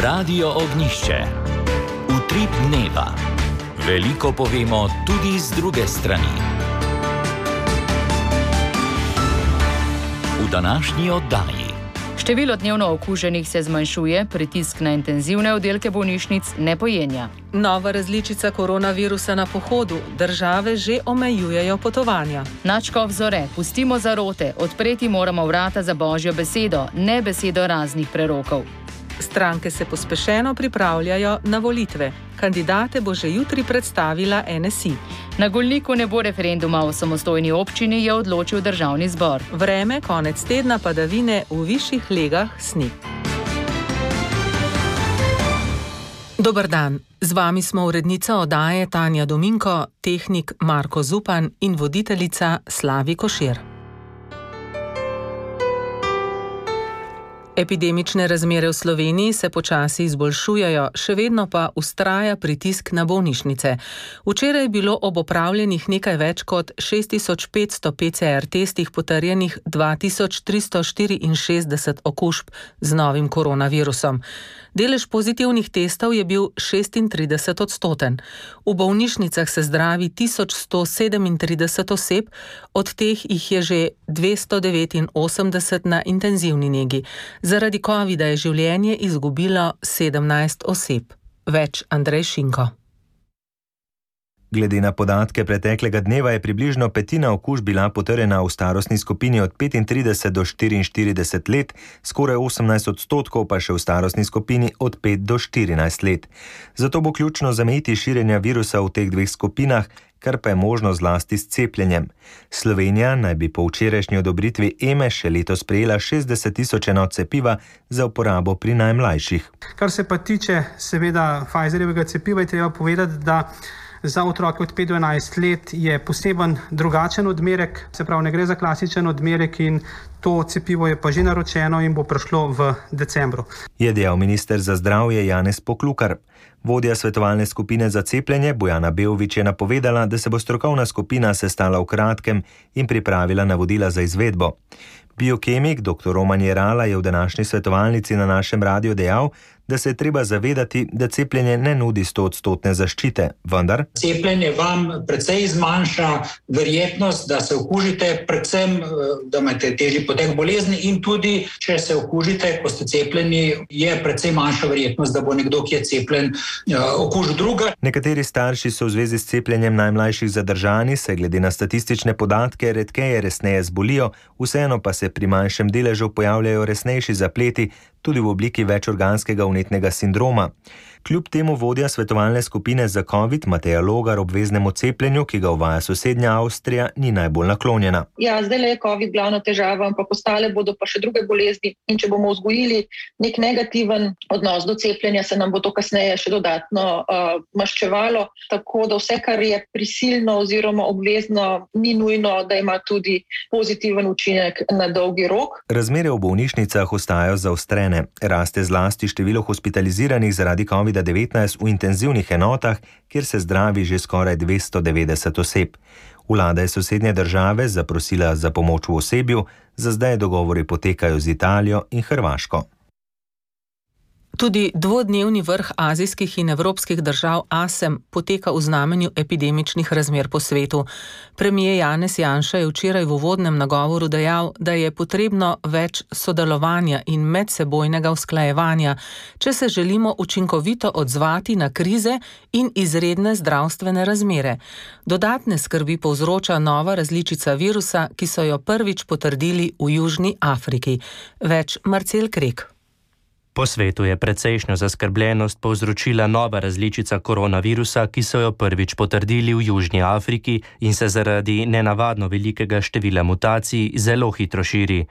Radio Ognišče. Utrip dneva. Veliko povemo tudi z druge strani. V današnji oddaji. Število dnevno okuženih se zmanjšuje, pritisk na intenzivne oddelke bolnišnic ne pojenja. Nova različica koronavirusa na pohodu, države že omejujejo potovanja. Načkov Zore, pustimo zarote, odpreti moramo vrata za Božjo besedo, ne besedo raznih prerokov. Stranke se pospešeno pripravljajo na volitve. Kandidate bo že jutri predstavila NSI. Na Golniku ne bo referenduma o samostojni občini, je odločil Državni zbor. Vreme, konec tedna padavine, v višjih legah sneg. Dober dan, z vami smo urednica oddaje Tanja Dominko, tehnik Marko Zupan in voditeljica Slavi Košir. Epidemične razmere v Sloveniji se počasi izboljšujejo, še vedno pa vztraja pritisk na bolnišnice. Včeraj je bilo ob opravljenih nekaj več kot 6500 PCR testih potrjenih 2364 okužb z novim koronavirusom. Delež pozitivnih testov je bil 36%. V bolnišnicah se zdravi 1137 oseb, od teh jih je že 289 na intenzivni negi. Zaradi covida je življenje izgubilo 17 oseb. Več Andrej Šinko. Glede na podatke preteklega dneva je približno petina okužb bila potrjena v starostni skupini od 35 do 44 let, skoraj 18% pa še v starostni skupini od 5 do 14 let. Zato bo ključno zamejiti širjenja virusa v teh dveh skupinah, kar pa je možno zlasti s cepljenjem. Slovenija naj bi po včerajšnji odobritvi EME še letos prejela 60 000 enot cepiva za uporabo pri najmlajših. Kar se pa tiče seveda Pfizerjevega cepiva, je treba povedati, da za otroke od 5 do 11 let je poseben drugačen odmerek, se pravi ne gre za klasičen odmerek in to cepivo je pa že naročeno in bo prišlo v decembru. Je dejal minister za zdravje Janez Poklukar. Vodja svetovalne skupine za cepljenje Bojana Beović je napovedala, da se bo strokovna skupina sestala v kratkem in pripravila navodila za izvedbo. Biokemik dr. Roman Jerala je v današnji svetovalnici na našem radiju dejal, da se je treba zavedati, da cepljenje ne nudi 100% zaščite, vendar cepljenje vam precej zmanjša verjetnost, da se okužite, predvsem, da imate težji potek bolezni in tudi, če se okužite, ko ste cepljeni, je precej manjša verjetnost, da bo nekdo, ki je cepljen, okužil druga. Nekateri starši so v zvezi s cepljenjem najmlajših zadržani, se glede na statistične podatke redkeje resneje zbolijo, vseeno pa se pri manjšem deležu pojavljajo resnejši zapleti, tudi v obliki večorganskega vnetnega sindroma. Kljub temu vodja svetovalne skupine za COVID Mateja Logar obveznemu cepljenju, ki ga uvaja sosednja Avstrija, ni najbolj naklonjena. Ja, zdaj je COVID glavna težava, ampak ostale bodo pa še druge bolezni in če bomo vzgojili nek negativen odnos do cepljenja, se nam bo to kasneje še dodatno maščevalo, tako da vse, kar je prisilno oziroma obvezno, ni nujno, da ima tudi pozitiven učinek na dolgi rok. Razmere v bolnišnicah ostajajo zaostrene. Raste zlasti število hospitaliziranih zaradi COVID-19 v intenzivnih enotah, kjer se zdravi že skoraj 290 oseb. Vlada je sosednje države zaprosila za pomoč v osebju, za zdaj dogovori potekajo z Italijo in Hrvaško. Tudi dvodnevni vrh azijskih in evropskih držav ASEM poteka v znamenju epidemičnih razmer po svetu. Premier Janez Janša je včeraj v uvodnem nagovoru dejal, da je potrebno več sodelovanja in medsebojnega usklajevanja, če se želimo učinkovito odzvati na krize in izredne zdravstvene razmere. Dodatne skrbi povzroča nova različica virusa, ki so jo prvič potrdili v Južni Afriki. Več Marcel Krek. Po svetu je precejšnjo zaskrbljenost povzročila nova različica koronavirusa, ki so jo prvič potrdili v Južni Afriki in se zaradi nenavadno velikega števila mutacij zelo hitro širi.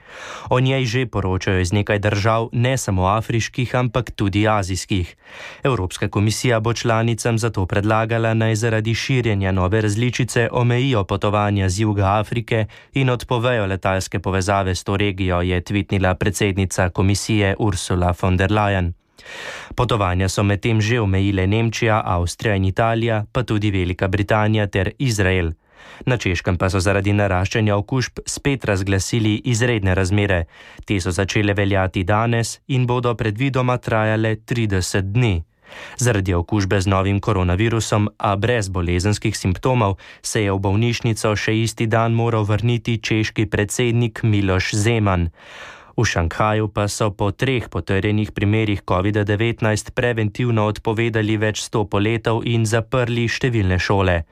O njej že poročajo iz nekaj držav, ne samo afriških, ampak tudi azijskih. Evropska komisija bo članicam zato predlagala, naj zaradi širjenja nove različice omejijo potovanja z juga Afrike in odpovejo letalske povezave s to regijo, je tvitnila predsednica komisije Ursula von der Leyen. Potovanja so medtem že omejile Nemčija, Avstrija in Italija, pa tudi Velika Britanija ter Izrael. Na Češkem pa so zaradi naraščanja okužb spet razglasili izredne razmere. Te so začele veljati danes in bodo predvidoma trajale 30 dni. Zaradi okužbe z novim koronavirusom, a brez bolezenskih simptomov, se je v bolnišnico še isti dan moral vrniti češki predsednik Miloš Zeman. V Šanghaju pa so po 3 potrjenih primerih COVID-19 preventivno odpovedali več 100 poletov in zaprli številne šole.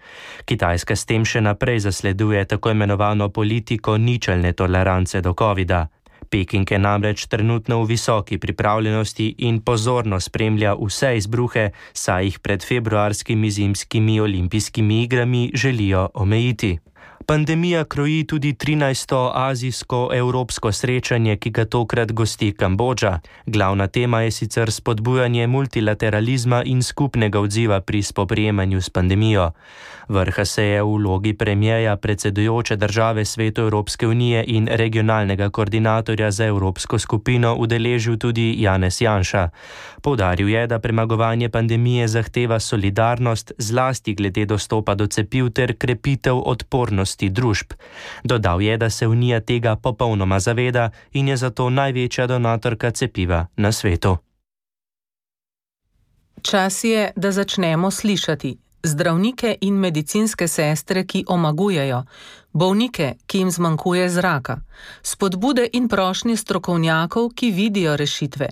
Kitajska s tem še naprej zasleduje tako imenovano politiko ničelne tolerance do COVID-a. Peking je namreč trenutno v visoki pripravljenosti in pozorno spremlja vse izbruhe, saj jih pred februarskimi zimskimi olimpijskimi igrami želijo omejiti. Pandemija kroji tudi 13. azijsko-evropsko srečanje, ki ga tokrat gosti Kambodža. Glavna tema je sicer spodbujanje multilateralizma in skupnega odziva pri spoprijemanju s pandemijo. Vrha se je v vlogi premijeja predsedujoče države Svetu Evropske unije in regionalnega koordinatorja za Evropsko skupino udeležil tudi Janez Janša. Poudaril je, da premagovanje pandemije zahteva solidarnost, zlasti glede dostopa do cepiv ter krepitev odpornosti družb. Dodal je, da se Unija tega popolnoma zaveda in je zato največja donatorka cepiva na svetu. Čas je, da začnemo slišati zdravnike in medicinske sestre, ki omagujejo, bolnike, ki jim zmanjkuje zraka, spodbude in prošnje strokovnjakov, ki vidijo rešitve.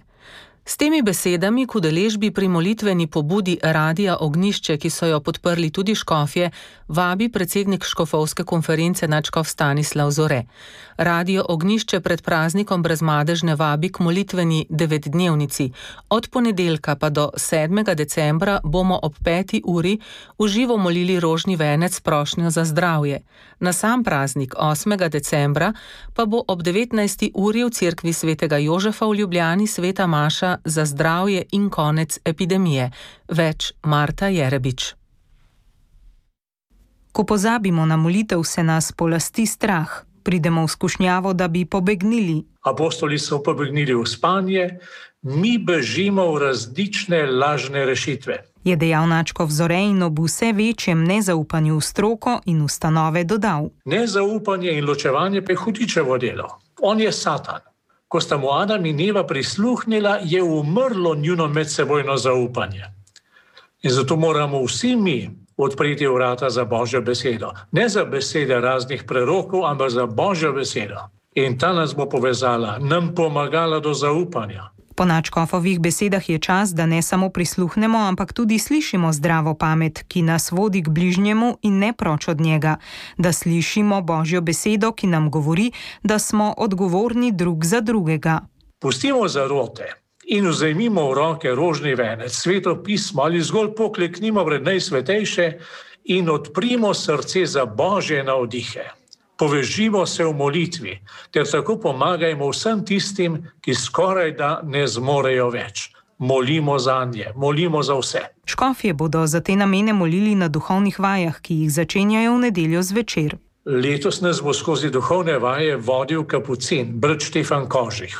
S temi besedami k udeležbi pri molitveni pobudi Radia Ognjišče, ki so jo podprli tudi škofje, vabi predsednik škofovske konference nadškof Stanislav Zore. Radio Ognjišče pred praznikom Brezmadežne vabi k molitveni 9-dnevnici. Od ponedeljka pa do 7. decembra bomo ob 5. uri v živo molili rožni venec s prošnjo za zdravje. Na sam praznik 8. decembra pa bo ob 19. uri v cerkvi svetega Jožefa v Ljubljani sveta maša za zdravje in konec epidemije. Več Marta Jerebič. Ko pozabimo na molitev, se nas polasti strah. Pridemo v skušnjavo, da bi pobegnili. Apostoli so pobegnili v spanje, mi bežimo v različne lažne rešitve. Je dejal nadškof Zore in ob vse večjem nezaupanju v stroko in ustanove dodal. Nezaupanje in ločevanje pa je hudičevo delo. On je Satan. Ko sta mu Adam in Eva prisluhnila, je umrlo njuno medsebojno zaupanje. In zato moramo vsi mi odpreti vrata za Božjo besedo. Ne za besede raznih prerokov, ampak za Božjo besedo. In ta nas bo povezala, nam pomagala do zaupanja. Po nadškofovih besedah je čas, da ne samo prisluhnemo, ampak tudi slišimo zdravo pamet, ki nas vodi k bližnjemu in ne proč od njega. Da slišimo Božjo besedo, ki nam govori, da smo odgovorni drug za drugega. Pustimo zarote in vzemimo v roke rožni venec, sveto pismo ali zgolj pokleknimo pred najsvetejše in odprimo srce za Božje navdihe. Povežimo se v molitvi, ter tako pomagajmo vsem tistim, ki skoraj da ne zmorejo več. Molimo zanje, molimo za vse. Škofje bodo za te namene molili na duhovnih vajah, ki jih začenjajo v nedeljo zvečer. Letos nas bo skozi duhovne vaje vodil kapucin, brat Štefan Kožih.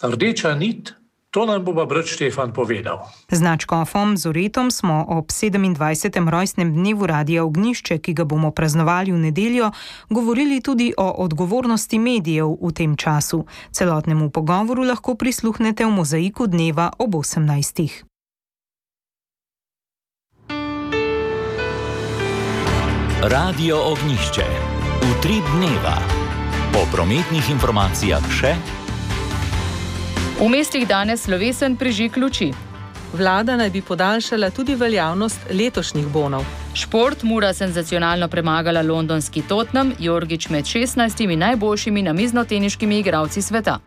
Rdeča nit, to nam bo pa brat Štefan povedal. Z nadškofom Zoretom smo ob 27. rojstnem dnevu Radia Ognjišče, ki ga bomo praznovali v nedeljo, govorili tudi o odgovornosti medijev v tem času. Celotnemu pogovoru lahko prisluhnete v mozaiku dneva ob 18. Radio Ognjišče. Utrip dneva. Po prometnih informacijah še. V mestih danes slovesen prižig luči. Vlada naj bi podaljšala tudi veljavnost letošnjih bonov. Šport, Mura senzacionalno premagala londonski Tottenham, Jorgić med 16 najboljšimi namiznoteniškimi igralci sveta.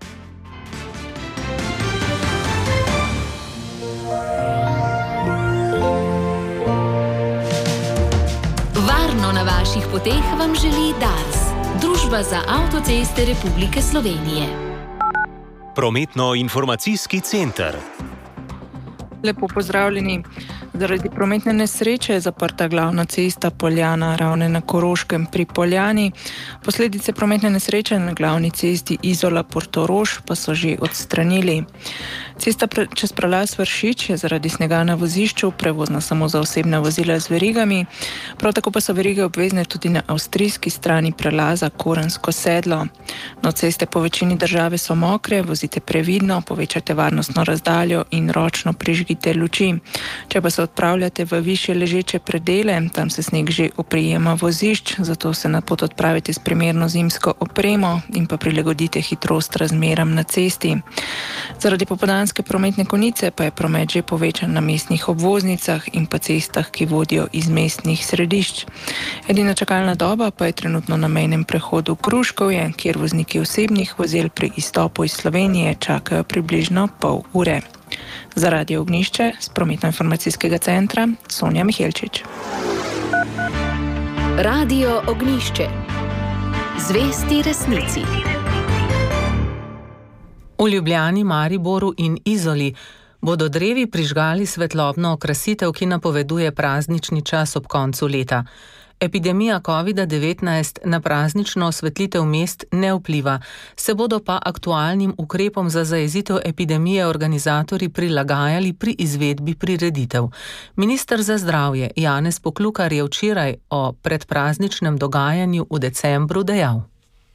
Varno na vaših poteh vam želi Dars, Družba za avtoceste Republike Slovenije. Prometno-informacijski center. Lepo pozdravljeni. Zaradi prometne nesreče je zaprta glavna cesta Poljana Ravne na Koroškem pri Poljani. Posledice prometne nesreče na glavni cesti Izola-Portorož pa so že odstranili. Cesta čez prelaz Vršič je zaradi snega na vozišču prevozna samo za osebna vozila z verigami. Prav tako pa so verige obvezne tudi na avstrijski strani prelaza Korensko sedlo. No, ceste po večini države so mokre, vozite previdno, povečajte varnostno razdaljo in ročno prižgite luči. Če pa se odpravljate v višje ležeče predele, tam se sneg že oprijema vozišč, zato se na pot odpravite s primerno zimsko opremo in pa prilagodite hitrost razmeram na cesti. Zaradi popoldanske prometne konice pa je promet že povečan na mestnih obvoznicah in pa cestah, ki vodijo iz mestnih središč. Edina čakalna doba pa je trenutno na mejnem prehodu Kruškovje, kjer vozniki osebnih vozil pri izstopu iz Slovenije čakajo približno pol ure. Za Radio Ognjišče z Prometno-informacijskega centra Sonja Mihelčič. Radio Ognjišče. Zvesti resnici. V Ljubljani, Mariboru in Izoli bodo drevi prižgali svetlobno okrasitev, ki napoveduje praznični čas ob koncu leta. Epidemija COVID-19 na praznično osvetlitev mest ne vpliva, se bodo pa aktualnim ukrepom za zajezitev epidemije organizatorji prilagajali pri izvedbi prireditev. Minister za zdravje Janez Poklukar je včeraj o predprazničnem dogajanju v decembru dejal.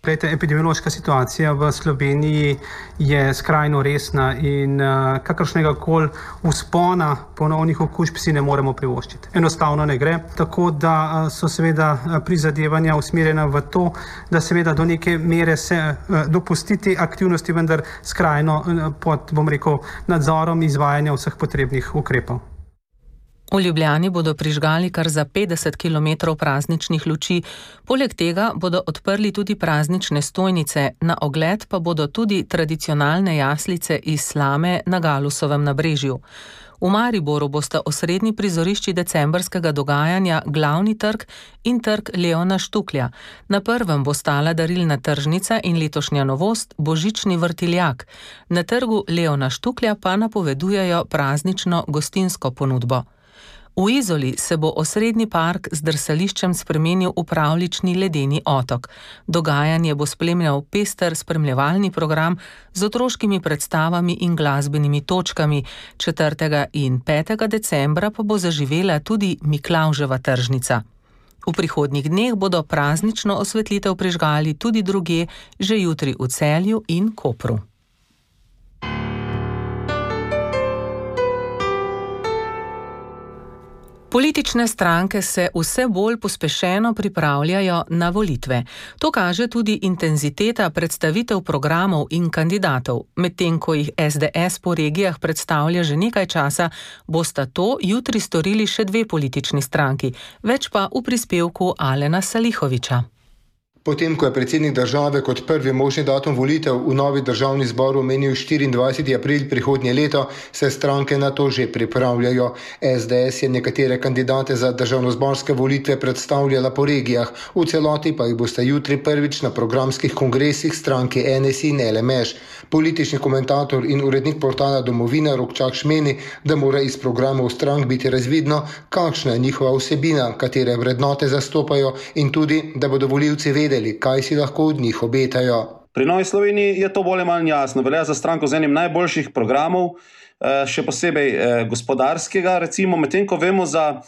Epidemiološka situacija v Sloveniji je skrajno resna in kakršnega koli vzpona ponovnih okužb si ne moremo privoščiti. Enostavno ne gre, tako da so seveda prizadevanja usmerjena v to, da seveda do neke mere se dopustiti aktivnosti, vendar skrajno pod, nadzorom izvajanja vseh potrebnih ukrepov. V Ljubljani bodo prižgali kar za 50 km prazničnih luči, poleg tega bodo odprli tudi praznične stojnice, na ogled pa bodo tudi tradicionalne jaslice iz slame na Galusovem nabrežju. V Mariboru bosta osrednji prizorišči decembrskega dogajanja glavni trg in trg Leona Štuklja. Na prvem bo stala darilna tržnica in letošnja novost božični vrtiljak. Na trgu Leona Štuklja pa napovedujejo praznično gostinsko ponudbo. V Izoli se bo osrednji park z drsališčem spremenil v pravljični ledeni otok. Dogajanje bo spremljal pester spremljevalni program z otroškimi predstavami in glasbenimi točkami. 4. in 5. decembra pa bo zaživela tudi Miklavževa tržnica. V prihodnjih dneh bodo praznično osvetlitev prižgali tudi drugje, že jutri v Celju in Kopru. Politične stranke se vse bolj pospešeno pripravljajo na volitve. To kaže tudi intenziteta predstavitev programov in kandidatov. Medtem ko jih SDS po regijah predstavlja že nekaj časa, bosta to jutri storili še dve politični stranki, več pa v prispevku Alena Salihoviča. Potem, ko je predsednik države kot prvi možni datum volitev v novi državni zbor omenil 24. april prihodnje leto, se stranke na to že pripravljajo. SDS je nekatere kandidate za državnozborske volitve predstavljala po regijah, v celoti pa jih bosta jutri prvič na programskih kongresih stranke NSI in LMŠ. Politični komentator in urednik portala Domovina Rokčak meni, da mora iz programov strank biti razvidno, kakšna je njihova vsebina, katere vrednote zastopajo in tudi, da bodo volivci vedeli, kaj si lahko od njih obetajo. Pri Novi Sloveniji je to bolj ali manj jasno. Velja za stranko z enim najboljših programov, še posebej gospodarskega, recimo, medtem ko vemo za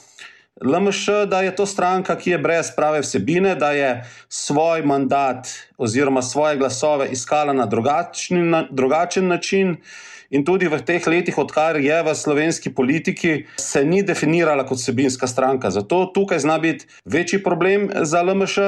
LMŠ, da je to stranka, ki je brez prave vsebine, da je svoj mandat oziroma svoje glasove iskala na drugačen način in tudi v teh letih, odkar je v slovenski politiki, se ni definirala kot vsebinska stranka. Zato tukaj zna biti večji problem za LMŠ.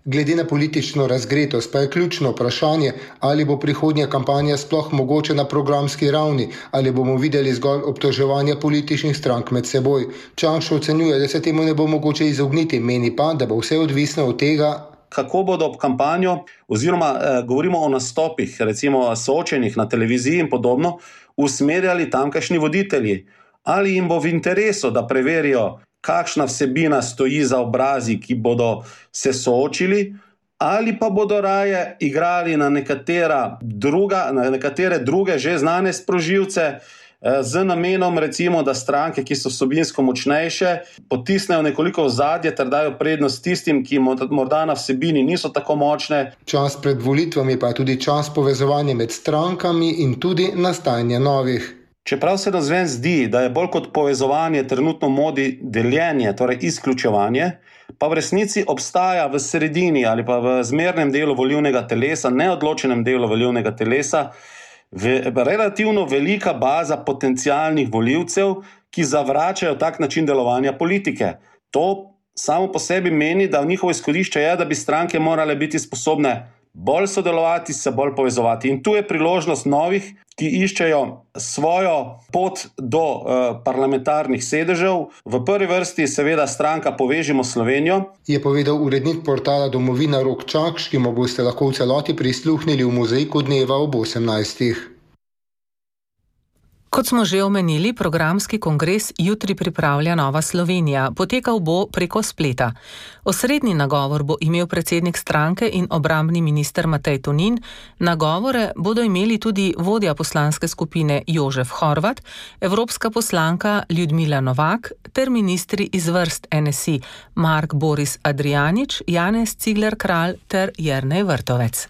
Glede na politično razgretost pa je ključno vprašanje, ali bo prihodnja kampanja sploh mogoče na programski ravni, ali bomo videli zgolj obtoževanja političnih strank med seboj. Čanš ocenjuje, da se temu ne bo mogoče izogniti, meni pa, da bo vse odvisno od tega, kako bodo ob kampanjo, oziroma govorimo o nastopih, recimo soočenih na televiziji in podobno, usmerjali tamkajšnji voditelji. Ali jim bo v interesu, da preverijo, kakšna vsebina stoji za obrazi, ki bodo se soočili, ali pa bodo raje igrali na nekatere druge že znane sprožilce, z namenom recimo, da stranke, ki so vsebinsko močnejše, potisnejo nekoliko v zadje ter dajo prednost tistim, ki morda na vsebini niso tako močne. Čas pred volitvami pa je tudi čas povezovanja med strankami in tudi nastajanja novih. Čeprav se navzven zdi, da je bolj kot povezovanje trenutno modi deljenje, torej izključevanje, pa v resnici obstaja v sredini ali pa v zmernem delu volilnega telesa, neodločenem delu volilnega telesa, relativno velika baza potencialnih volivcev, ki zavračajo tak način delovanja politike. To samo po sebi meni, da njihovo izhodišče je, da bi stranke morale biti sposobne bolj sodelovati, se bolj povezovati. In tu je priložnost novih, ki iščejo svojo pot do parlamentarnih sedežev. V prvi vrsti seveda stranka Povežimo Slovenijo. Je povedal urednik portala Domovina Rok Čakš, ki mu boste lahko v celoti prisluhnili v mozaiku dneva ob 18. Kot smo že omenili, programski kongres jutri pripravlja Nova Slovenija. Potekal bo preko spleta. Osrednji nagovor bo imel predsednik stranke in obrambni minister Matej Tonin. Nagovore bodo imeli tudi vodja poslanske skupine Jožef Horvat, evropska poslanka Ljudmila Novak ter ministri iz vrst NSI Mark Boris Adrianič, Janez Cigler Kralj ter Jernej Vrtovec.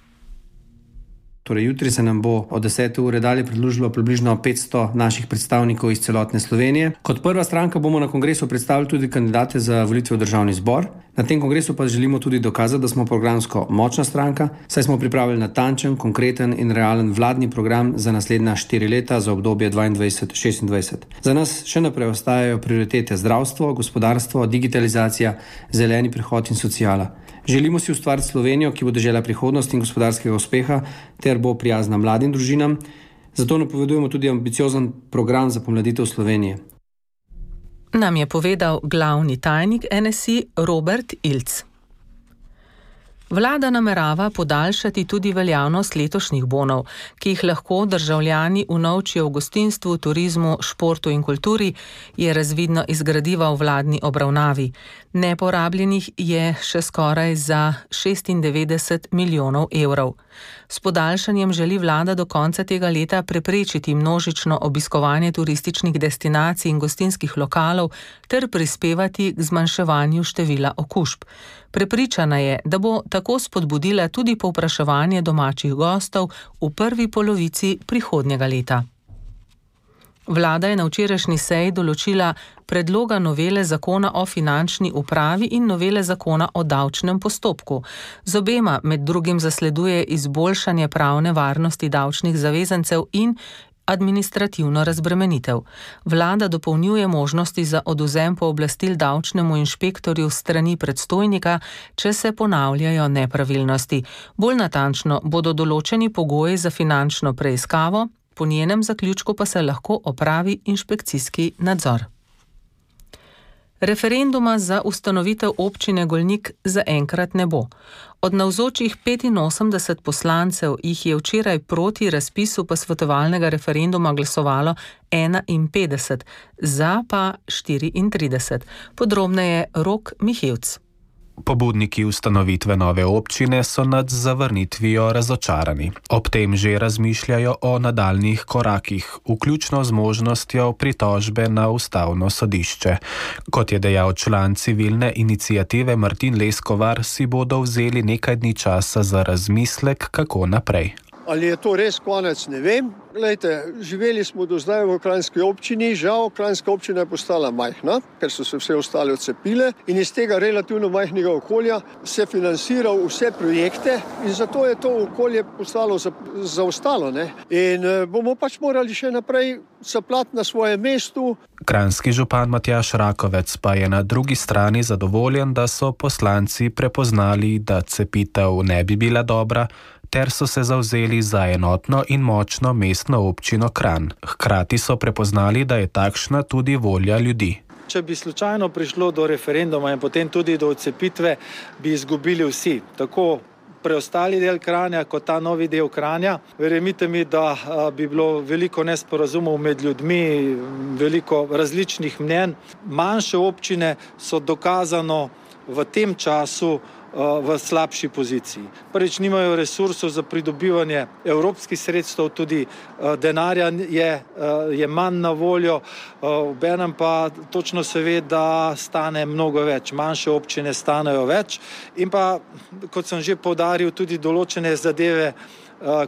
Torej, jutri se nam bo od 10. ure dalje pridružilo približno 500 naših predstavnikov iz celotne Slovenije. Kot prva stranka bomo na kongresu predstavili tudi kandidate za volitve v državni zbor. Na tem kongresu pa želimo tudi dokazati, da smo programsko močna stranka, saj smo pripravili natančen, konkreten in realen vladni program za naslednja 4 leta za obdobje 2022-2026. Za nas še naprej ostajajo prioritete zdravstvo, gospodarstvo, digitalizacija, zeleni prehod in sociala. Želimo si ustvariti Slovenijo, ki bo dežela prihodnosti in gospodarskega uspeha ter bo prijazna mladim družinam. Zato napovedujemo tudi ambiciozen program za pomladitev Slovenije. Nam je povedal glavni tajnik NSI Robert Ilc. Vlada namerava podaljšati tudi veljavnost letošnjih bonov, ki jih lahko državljani unovčijo v gostinstvu, turizmu, športu in kulturi, je razvidno iz gradiva v vladni obravnavi. Neporabljenih je še skoraj za 96 milijonov evrov. S podaljšanjem želi vlada do konca tega leta preprečiti množično obiskovanje turističnih destinacij in gostinskih lokalov ter prispevati k zmanjševanju števila okužb. Prepričana je, da bo tako spodbudila tudi povpraševanje domačih gostov v prvi polovici prihodnjega leta. Vlada je na včerajšnji seji določila predloga novele zakona o finančni upravi in novele zakona o davčnem postopku. Z obema med drugim zasleduje izboljšanje pravne varnosti davčnih zavezancev in administrativno razbremenitev. Vlada dopolnjuje možnosti za odvzem pooblastil davčnemu inšpektorju strani predstojnika, če se ponavljajo nepravilnosti. Bolj natančno bodo določeni pogoji za finančno preiskavo, po njenem zaključku pa se lahko opravi inšpekcijski nadzor. Referenduma za ustanovitev občine Golnik zaenkrat ne bo. Od navzočih 85 poslancev jih je včeraj proti razpisu posvetovalnega referenduma glasovalo 51, za pa 34. Podrobneje Rok Mihevc. Pobudniki ustanovitve nove občine so nad zavrnitvijo razočarani. Ob tem že razmišljajo o nadaljnjih korakih, vključno z možnostjo pritožbe na ustavno sodišče. Kot je dejal član civilne iniciative Martin Leskovar, si bodo vzeli nekaj dni časa za razmislek, kako naprej. Ali je to res konec, ne vem. Glejte, živeli smo do zdaj v Kranjski občini, žal Kranjska občina je postala majhna, ker so se vse ostale odcepile in iz tega relativno majhnega okolja se financiral vse projekte in zato je to okolje postalo zaostalo. In bomo pač morali še naprej saplati na svojem mestu. Kranjski župan Matjaž Rakovec pa je na drugi strani zadovoljen, da so poslanci prepoznali, da cepitev ne bi bila dobra, ter so se zavzeli za enotno in močno mestno občino Kranj. Hkrati so prepoznali, da je takšna tudi volja ljudi. Če bi slučajno prišlo do referenduma in potem tudi do odcepitve, bi izgubili vsi. Tako preostali del Kranja kot ta novi del Kranja. Verjemite mi, da bi bilo veliko nesporazumov med ljudmi, veliko različnih mnenj. Manjše občine so dokazano v tem času v slabši poziciji. Prvič, nimajo resursov za pridobivanje evropskih sredstev, tudi denarja je manj na voljo, obenem pa točno se ve, da stane mnogo več, manjše občine stanejo več in pa, kot sem že poudaril, tudi določene zadeve,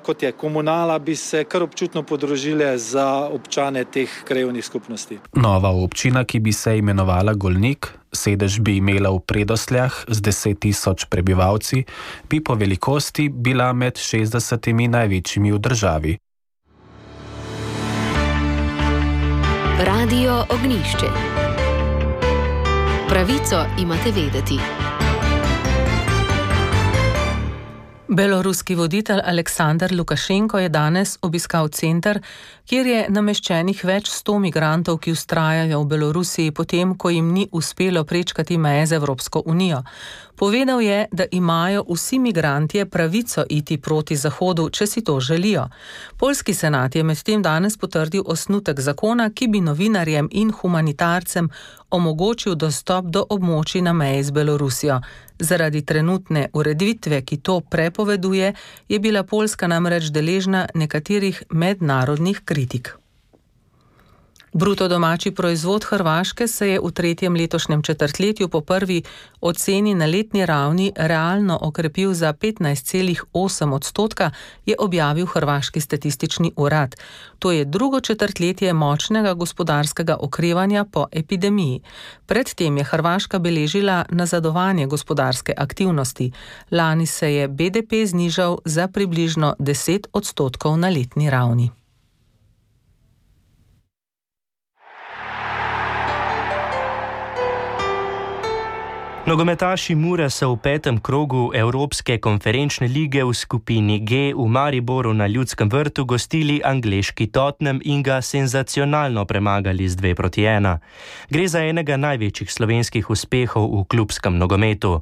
kot je komunala, bi se kar občutno podražile za občane teh krajevnih skupnosti. Nova občina, ki bi se imenovala Golnik, sedež bi imela v Predosljah z 10.000 prebivalci, bi po velikosti bila med 60 največjimi v državi. Radio Ognjišče. Pravico imate vedeti. Beloruski voditelj Aleksandar Lukašenko je danes obiskal center, kjer je nameščenih več 100 migrantov, ki vztrajajo v Belorusiji potem, ko jim ni uspelo prečkati meje z Evropsko unijo. Povedal je, da imajo vsi migrantje pravico iti proti Zahodu, če si to želijo. Poljski senat je medtem danes potrdil osnutek zakona, ki bi novinarjem in humanitarcem omogočil dostop do območij na meji z Belorusijo. Zaradi trenutne ureditve, ki to prepoveduje, je bila Poljska namreč deležna nekaterih mednarodnih kritik. Bruto domači proizvod Hrvaške se je v tretjem letošnjem četrtletju po prvi oceni na letni ravni realno okrepil za 15,8%, je objavil Hrvaški statistični urad. To je drugo četrtletje močnega gospodarskega okrevanja po epidemiji. Predtem je Hrvaška beležila nazadovanje gospodarske aktivnosti. Lani se je BDP znižal za približno 10% na letni ravni. Nogometaši Mure so v 5. krogu Evropske konferenčne lige v skupini G v Mariboru na Ljudskem vrtu gostili angleški Tottenham in ga senzacionalno premagali z 2-1. Gre za enega največjih slovenskih uspehov v klubskem nogometu.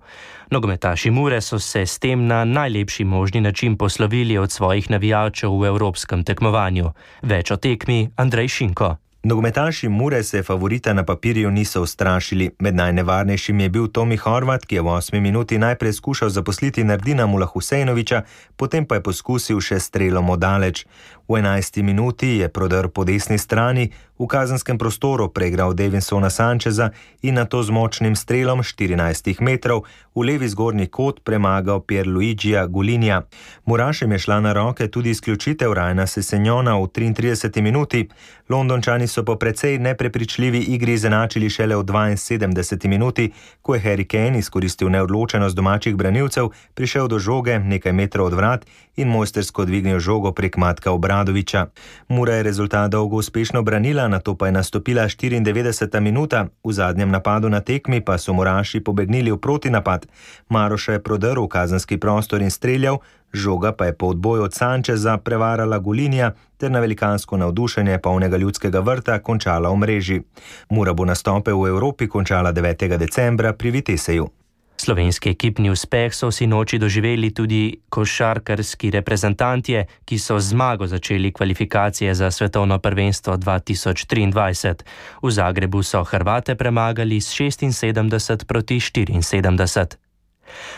Nogometaši Mure so se s tem na najlepši možni način poslovili od svojih navijačev v evropskem tekmovanju. Več o tekmi Andrej Šinko. Nogometaši Mure se favorita na papirju niso ustrašili. Med najnevarnejšim je bil Tomi Horvat, ki je v 8. minuti najprej skušal zaposliti Nardina Mulahusejnoviča, potem pa je poskusil še strelom odaleč. V 11. minuti je prodor po desni strani v kazenskem prostoru preigral Davinsona Sancheza in nato z močnim strelom 14 metrov v levi zgornji kot premagal Pierluigija Gulinja. Murašem je šla na roke tudi izključitev Ryana Sessegnona v 33. minuti. Londončani so po precej neprepričljivi igri izenačili šele v 72. minuti, ko je Harry Kane izkoristil neodločenost domačih branilcev, prišel do žoge nekaj metrov od vrat in mojstersko dvignil žogo prek Matka Obradoviča. Mura je rezultat dolgo uspešno branila, nato pa je nastopila 94. minuta. V zadnjem napadu na tekmi pa so Muraši pobegnili v protinapad. Maroša je prodrl v kazenski prostor in streljal, žoga pa je po odboju od Sancheza prevarala Gulinja ter na velikansko navdušenje polnega Ljudskega vrta končala v mreži. Mura bo nastope v Evropi končala 9. decembra pri Viteseju. Slovenski ekipni uspeh so sinoči doživeli tudi košarkarski reprezentantje, ki so zmago začeli kvalifikacije za svetovno prvenstvo 2023. V Zagrebu so Hrvate premagali s 76-74.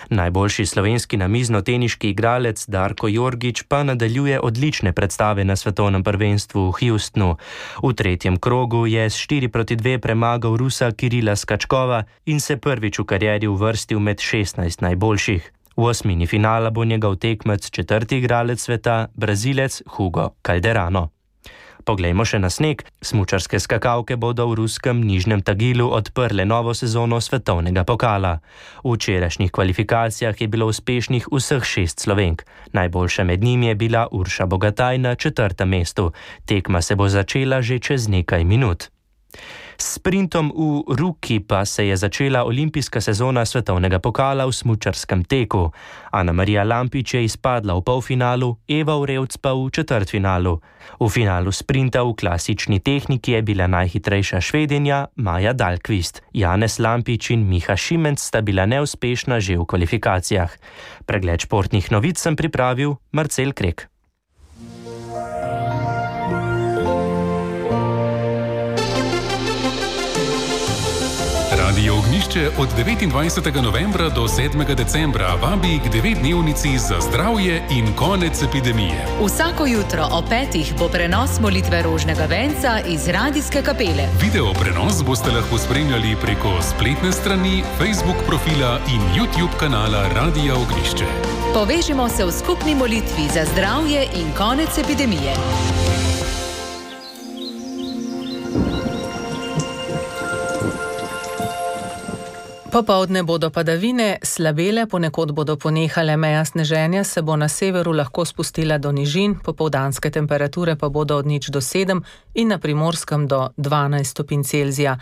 Najboljši slovenski namiznoteniški igralec Darko Jorgić pa nadaljuje odlične predstave na svetovnem prvenstvu v Houstonu. V tretjem krogu je s 4-2 premagal Rusa Kirila Skačkova in se prvič v karieri uvrstil med 16 najboljših. V osmini finala bo njegov tekmec četrti igralec sveta, Brazilec Hugo Calderano. Poglejmo še na sneg. Smučarske skakalke bodo v ruskem Nižnem Tagilu odprle novo sezono svetovnega pokala. V včerajšnjih kvalifikacijah je bilo uspešnih vseh 6 Slovenk. Najboljša med njimi je bila Urša Bogataj na 4. mestu. Tekma se bo začela že čez nekaj minut. S sprintom v Ruki pa se je začela olimpijska sezona svetovnega pokala v smučarskem teku. Ana Marija Lampič je izpadla v polfinalu, Eva Urevc pa v četrtfinalu. V finalu sprinta v klasični tehniki je bila najhitrejša Švedinja Maja Dahlqvist. Janez Lampič in Miha Šimenc sta bila neuspešna že v kvalifikacijah. Pregled športnih novic sem pripravil Marcel Krek. Radio Ognjišče. Ognjišče od 29. novembra do 7. decembra vabi k 9-dnevnici za zdravje in konec epidemije. Vsako jutro ob 5. bo prenos molitve rožnega venca iz radijske kapele. Video prenos boste lahko spremljali preko spletne strani, Facebook profila in YouTube kanala Radia Ognjišče. Povežimo se v skupni molitvi za zdravje in konec epidemije. Popoldne bodo padavine slabele, ponekod bodo ponehale, meja sneženja se bo na severu lahko spustila do nižin, popoldanske temperature pa bodo od 0 do 7 in na Primorskem do 12 stopinj Celzija.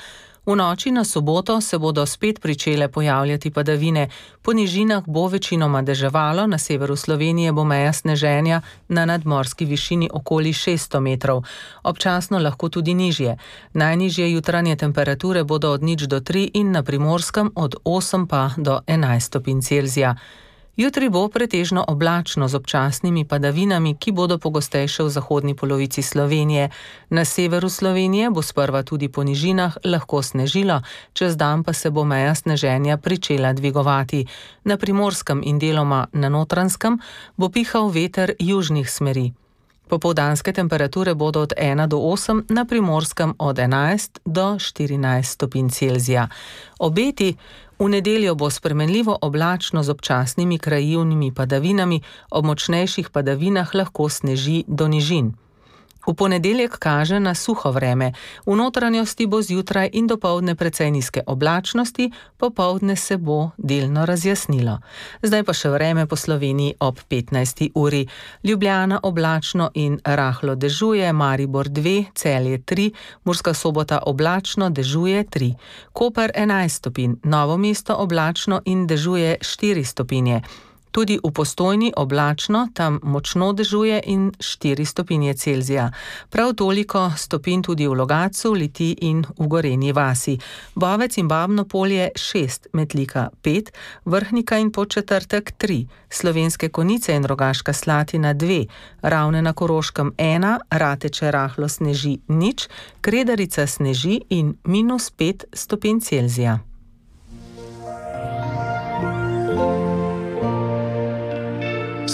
V noči na soboto se bodo spet pričele pojavljati padavine. Po nižinah bo večinoma deževalo, na severu Slovenije bo meja sneženja na nadmorski višini okoli 600 metrov. Občasno lahko tudi nižje. Najnižje jutranje temperature bodo od 0 do 3 in na Primorskem od 8 pa do 11 stopinj Celzija. Jutri bo pretežno oblačno z občasnimi padavinami, ki bodo pogostejše v zahodni polovici Slovenije. Na severu Slovenije bo sprva tudi po nižinah lahko snežilo, čez dan pa se bo meja sneženja pričela dvigovati. Na Primorskem in deloma na Notranjskem bo pihal veter južnih smeri. Popoldanske temperature bodo od 1 do 8, na Primorskem od 11 do 14 stopinj Celzija. Obeti: v nedeljo bo spremenljivo oblačno z občasnimi krajevnimi padavinami, ob močnejših padavinah lahko sneži do nižin. V ponedeljek kaže na suho vreme. V notranjosti bo zjutraj in dopoldne precej nizke oblačnosti, popoldne se bo delno razjasnilo. Zdaj pa še vreme po Sloveniji ob 15. uri. Ljubljana oblačno in rahlo dežuje, Maribor 2, Celje 3, Murska Sobota oblačno, dežuje 3. Koper 11 stopinj, Novo mesto oblačno in dežuje 4 stopinje. Tudi v Postojni oblačno, tam močno dežuje in 4 stopinje Celzija. Prav toliko stopinj tudi v Logatcu, Litiji in v Gorenji vasi. Bovec in Babno Polje 6, Metlika 5, Vrhnika in Podčetrtek 3, Slovenske Konjice in Rogaška Slatina 2, Ravne na Koroškem 1, Rateče rahlo sneži 0, Kredarica sneži in -5 stopinj Celzija.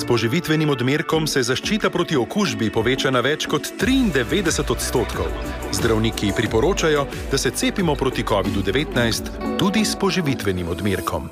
S poživitvenim odmerkom se zaščita proti okužbi poveča na več kot 93%. Zdravniki priporočajo, da se cepimo proti COVID-19 tudi s poživitvenim odmerkom.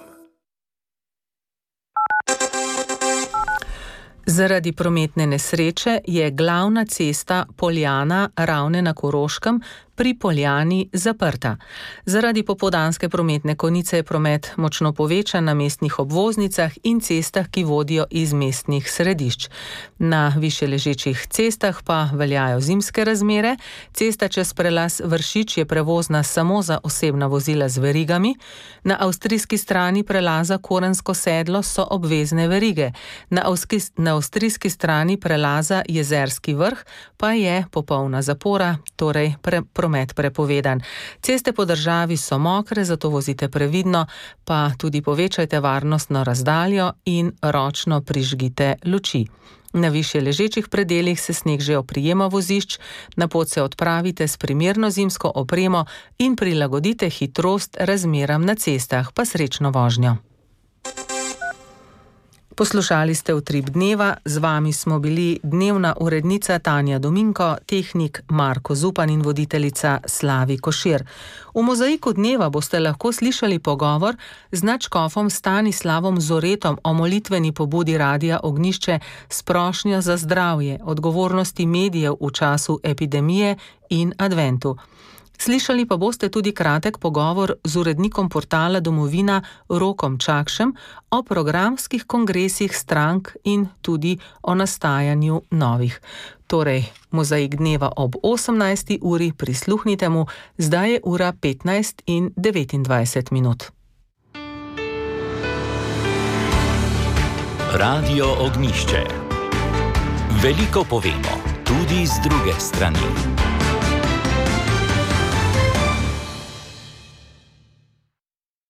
Zaradi prometne nesreče je glavna cesta Poljana Ravne na Koroškem pri Poljani zaprta. Zaradi popoldanske prometne konice je promet močno povečan na mestnih obvoznicah in cestah, ki vodijo iz mestnih središč. Na višje ležečih cestah pa veljajo zimske razmere. Cesta čez prelaz Vršič je prevozna samo za osebna vozila z verigami. Na avstrijski strani prelaza Korensko sedlo so obvezne verige. Na avstrijski strani prelaza Jezerski vrh pa je popolna zapora, torej promet prepovedan. Ceste po državi so mokre, zato vozite previdno, pa tudi povečajte varnostno razdaljo in ročno prižgite luči. Na višje ležečih predelih se sneg že oprijema vozišč, na pot se odpravite s primerno zimsko opremo in prilagodite hitrost razmeram na cestah, pa srečno vožnjo. Poslušali ste Utrip dneva, z vami smo bili dnevna urednica Tanja Dominko, tehnik Marko Zupan in voditeljica Slavi Košir. V mozaiku dneva boste lahko slišali pogovor z nadškofom Stanislavom Zoretom o molitveni pobudi Radia Ognjišče s prošnjo za zdravje, odgovornosti medijev v času epidemije in adventu. Slišali pa boste tudi kratek pogovor z urednikom portala Domovina Rokom Čakšem o programskih kongresih strank in tudi o nastajanju novih. Torej, mozaik dneva ob 18. uri, prisluhnite mu, zdaj je ura 15:29. Radio Ognjišče. Veliko povemo, tudi z druge strani.